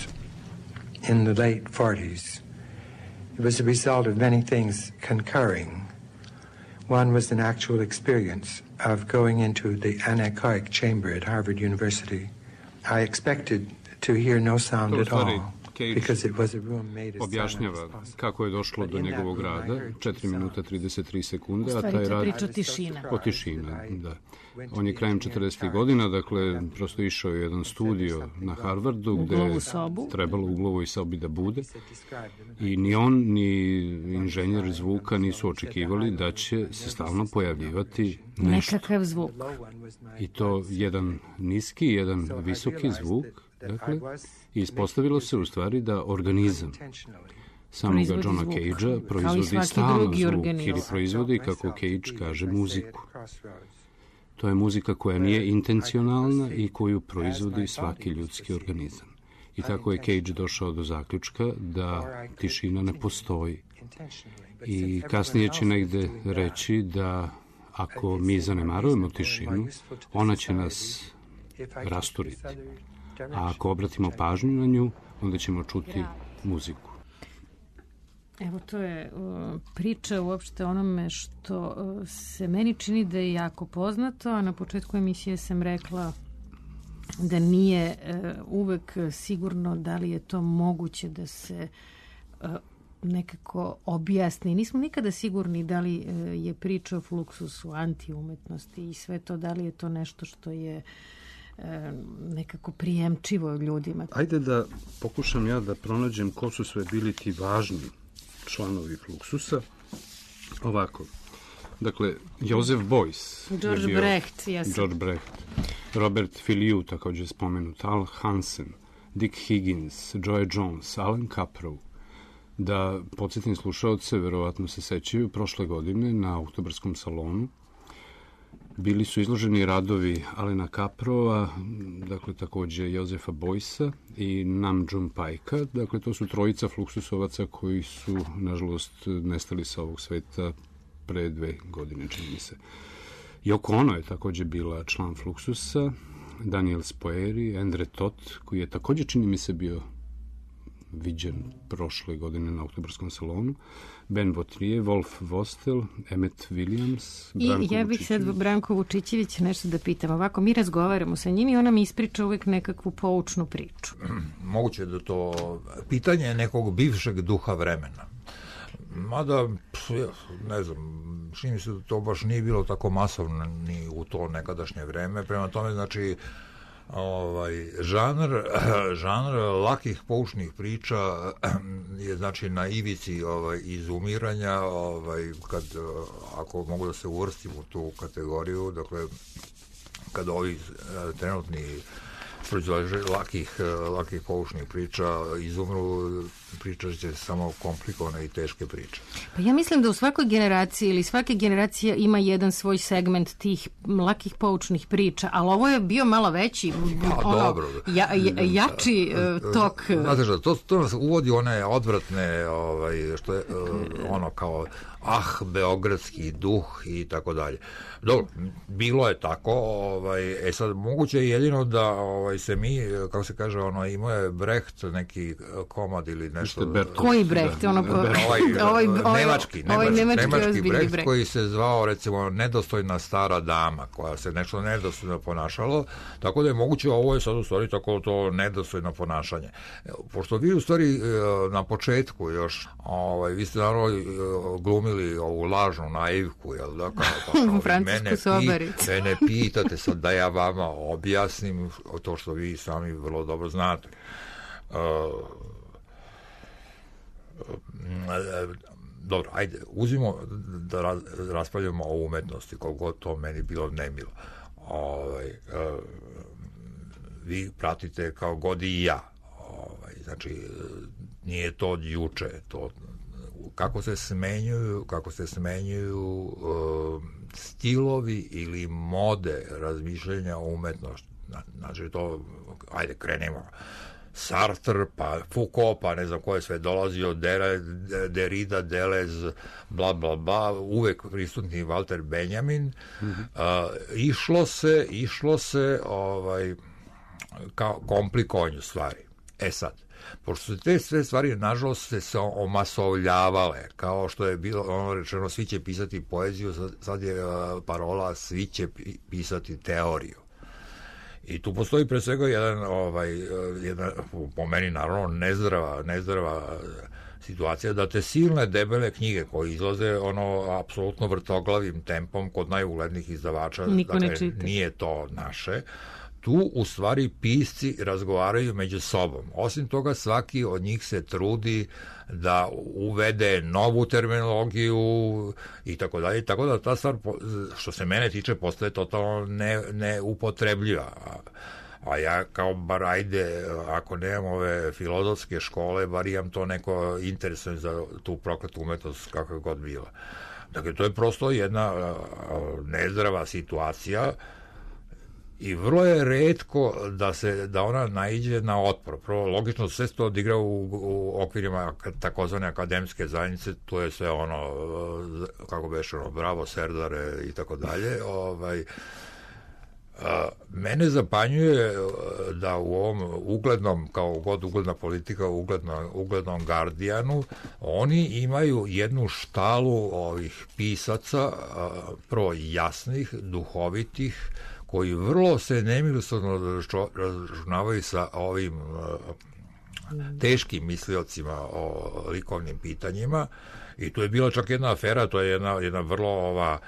in the late 40s. It was a result of many things concurring. One was an actual experience of going into the anechoic chamber at Harvard University. I expected to hear no sound at all. Objašnjava kako je došlo do njegovog rada, 4 minuta 33 sekunde, a taj rad... priča tišina. O tišina, da. On je krajem 40. godina, dakle, prosto išao je jedan studio na Harvardu, gde je trebalo u glovoj sobi da bude. I ni on, ni inženjer zvuka nisu očekivali da će se stalno pojavljivati nešto. Nekakav zvuk. I to jedan niski, jedan visoki zvuk, dakle, i ispostavilo se u stvari da organizam samoga Johna Cagea proizvodi stalno zvuk ili proizvodi, kako Cage kaže, muziku. To je muzika koja nije intencionalna i koju proizvodi svaki ljudski organizam. I tako je Cage došao do zaključka da tišina ne postoji. I kasnije će negde reći da ako mi zanemarujemo tišinu, ona će nas rasturiti. A ako obratimo pažnju na nju, onda ćemo čuti muziku. Evo, to je priča uopšte onome što se meni čini da je jako poznato, a na početku emisije sam rekla da nije uvek sigurno da li je to moguće da se nekako objasni. Nismo nikada sigurni da li je priča o fluksusu antiumetnosti i sve to, da li je to nešto što je nekako prijemčivo ljudima. Ajde da pokušam ja da pronađem ko su sve bili ti važni članovi Fluxusa. Ovako. Dakle, Joseph Beuys. George Brecht. Robert Filiu, takođe spomenut. Al Hansen, Dick Higgins, Joe Jones, Alan Caprow. Da podsjetim slušaoce, verovatno se sećaju, prošle godine na Oktobarskom salonu bili su izloženi radovi Alena Caprova, dakle takođe Josefa Beuys'a i Nam June Paika. Dakle, to su trojica fluksusovaca koji su, nažalost, nestali sa ovog sveta pre 2 godine, čini mi se. Yoko Ono je takođe bila član Fluxusa, Daniel Spoeri, Endre Toth, koji je takođe, čini mi se, bio viđen prošle godine na Oktobarskom salonu, Ben Votrier, Wolf Vostel, Emmet Williams, Branko Vučićević. I ja bih sad Branko Vučićević nešto da pitam. Ovako, mi razgovaramo sa njim i ona mi ispriča uvek nekakvu poučnu priču. Moguće da to pitanje nekog bivšeg duha vremena. Mada, ne znam, čini mi se da to baš nije bilo tako masovno ni u to nekadašnje vreme. Prema tome, znači, žanr lakih poučnih priča je, znači, na ivici izumiranja, kad, ako mogu da se uvrstim u tu kategoriju, dakle, kad ovi trenutni lakih poučnih priča izumru, pričat će samo komplikovane i teške priče. Pa ja mislim da u svakoj generaciji ili svake generacije ima jedan svoj segment tih lakih poučnih priča, ali ovo je bio malo veći, jači tok. Znate što, to nas uvodi one odvratne, što je ono kao beogradski duh i tako dalje. Dobro, bilo je tako, sad moguće je jedino da se mi, kako se kaže, imao je Brecht neki komad ili nešto. Koji Brecht? Nemački Brecht koji se zvao, recimo, nedostojna stara dama, koja se nešto nedostojno ponašalo, tako da je moguće, ovo je sad u stvari tako to nedostojno ponašanje. Pošto vi u stvari na početku još, vi ste naravno glumili ovu lažnu naivku, jel da? Mene pitate sad da ja vama objasnim to što vi sami vrlo dobro znate. Dobro, ajde, uzmimo da raspravljamo o umetnosti, koliko to meni bilo nemilo. Vi pratite kao god i ja. Znači, nije to od juče, to kako se smenjuju stilovi ili mode razmišljanja o umetnosti. Znači, to, ajde, krenemo. Sartre, pa Foucault, pa ne znam ko je sve dolazio, Derrida, Deleuze, bla, bla, bla, uvek prisutni Walter Benjamin. Išlo se kao komplikovanju stvari. Sad, pošto su te sve stvari, nažalost, se omasovljavale, kao što je bilo ono rečeno, svi će pisati poeziju, sad je parola, svi će pisati teoriju. I tu postoji pre svega jedna, po meni naravno, nezdrava situacija, da te silne debele knjige koje izlaze apsolutno vrtoglavim tempom kod najuglednijih izdavača, dakle, nije to naše, tu u stvari pisci razgovaraju među sobom. Osim toga, svaki od njih se trudi da uvede novu terminologiju i tako dalje, tako da ta stvar, što se mene tiče, postaje totalno neupotrebljiva. A ja kao bar, ajde, ako nemam ove filozofske škole, bar imam to neko interesuje za tu prokletu umetnost kakva je god bila. Dakle, to je prosto jedna nezdrava situacija i vrlo je retko da ona naiđe na otpor. Prvo, logično, sve to odigra u okvirima takozvane akademske zajednice, to je sve kako beše, bravo, serdare i tako dalje. Mene zapanjuje da u ovom uglednom, kao god ugledna politika, uglednom Guardianu, oni imaju jednu štalu ovih pisaca, prvo jasnih, duhovitih, koji vrlo se nemilosrdno računavaju sa ovim teškim misliocima o likovnim pitanjima. I tu je bila čak jedna afera, to je jedna vrlo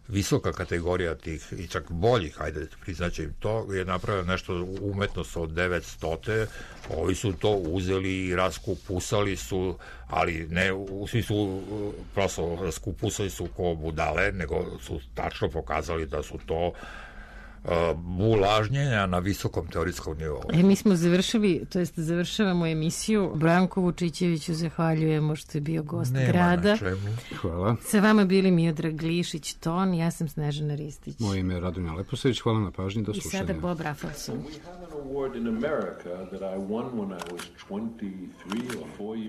visoka kategorija tih, i čak boljih, ajde, priznaće im to, je napravio nešto umetnost od 900. Ovi su to uzeli i raskupusali su, ali ne, svi su prosto raskupusali su ko budale, nego su tačno pokazali da su to bulažnjenja na visokom teorijskom nivou. Mi smo završili, to jest završavamo emisiju. Branku Vučićeviću zahvaljujemo što je bio gost grada. Nema na čemu. Hvala. Sa vama bili Miodrag Glišić, Ton, ja sam Snežana Ristić. Moje ime je Radonja Leposavić, hvala na pažnji, do slušanja. I sada Bob Rafelson.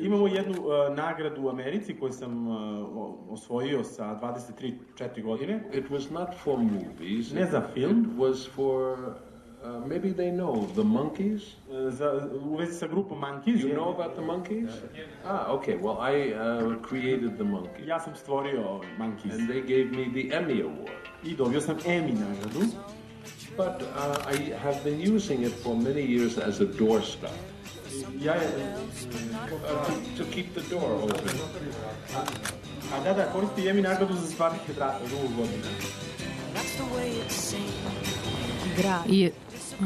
Imamo jednu nagradu u Americi koju sam osvojio sa 23-4 godine. It was not for movies. Ne za film. It was for maybe they know the Monkees. U vezi sa grupom Monkees. You know about the Monkees? Okay. Well, I created the Monkees. Ja sam stvorio Monkees. And they gave me the Emmy Award. I dobio sam Emmy nagradu. But I have been using it for many years as a doorstop. To keep the door open. Da, koristi Emmy nagradu za stvarnih vrata dugo godina.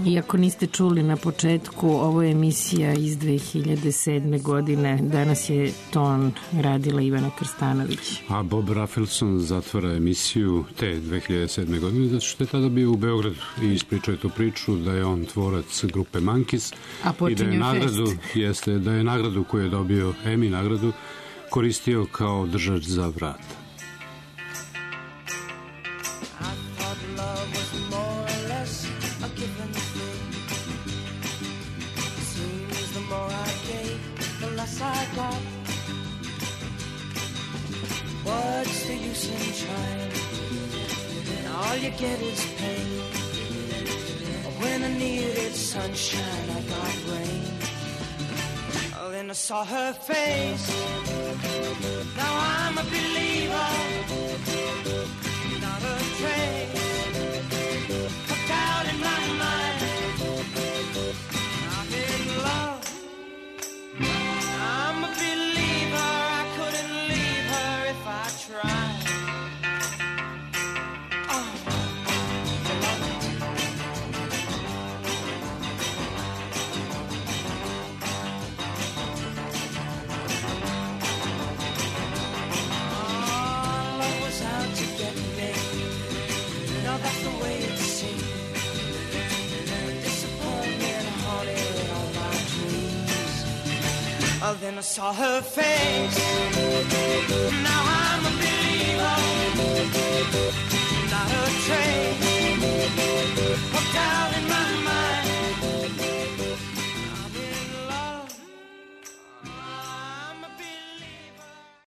Iako niste čuli na početku, ovo je emisija iz 2007. godine. Danas je Ton radila Ivana Krstanović. A Bob Rafelson zatvara emisiju te 2007. godine, zato što je tada bio u Beogradu i ispričao je tu priču da je on tvorac grupe Monkees i da je nagradu koju je dobio, Emmy nagradu, koristio kao držač za vrata. What's the use in trying? All you get is pain. When I needed sunshine, I got rain. Oh, then I saw her face. Now I'm a believer. Not a trace of doubt in my mind. I'm in love. I'm a believer. I couldn't leave her if I tried. Love was out to get me. Now that's the way it seemed. Disappointment haunted all my dreams. Oh, then I saw her face.